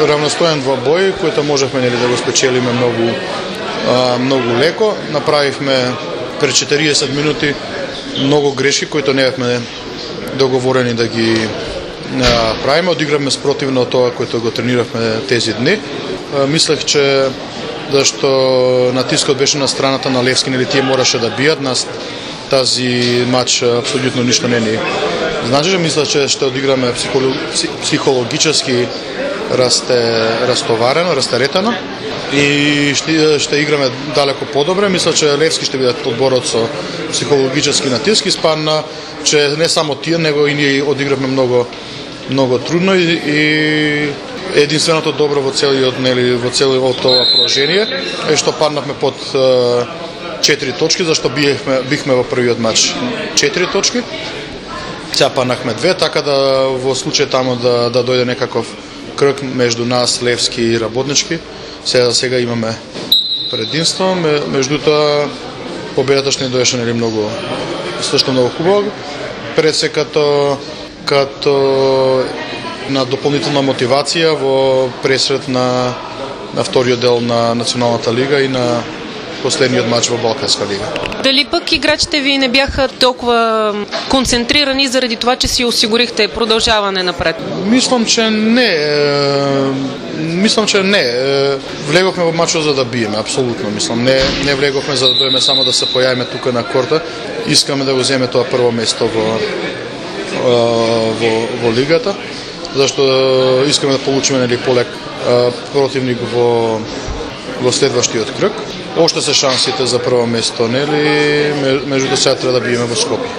равностоен двобој, кој можевме да го спечелиме многу леко. Направивме пред 40 минути многу грешки кои не бевме договорени да ги правиме. Одигравме спротивно тоа кој го трениравме тези дни. Мислех, че зашто натискот беше на страната на Левски, нели тие мораше да бијат нас, тази матч апсолутно ништо не ни значи. Мислех, че ще одиграме психологически растоварено, растеретено и ще играме далеко подобре. Мисля, че Левски ще бидат одборот со психологически натиск. Испанна, че не само тие, него и ние одигравме многу трудно и единственото добро во целиот тоа положение е што паднавме под 4 точки, зашто бихме во првиот матч 4 точки. Сега паднахме 2, така да во случај тамо да дојде некаков кръг меѓу нас, Левски и Работнички. Сега имаме предимство, меѓутоа победата што ни доеше многу хубаво. Пред се като на дополнителна мотивација во пресрет на вториот дел на Националната лига и на последниот матч во Балканска лига. Дали пък играчите ви не бяха толкова концентрирани заради това, че си осигурихте продължаване напред? Мислам, че не. Влегохме во матчот за да биеме, апсолутно мислам. Не влегохме за да дојдеме само да се појавиме тука на корта. Искаме да го земеме тоа прво место во лигата, зашто искаме да получиме полек противник во следващиот кръг. Оште се шансите за прво место, меѓутоа сега треба да биеме во Скопје.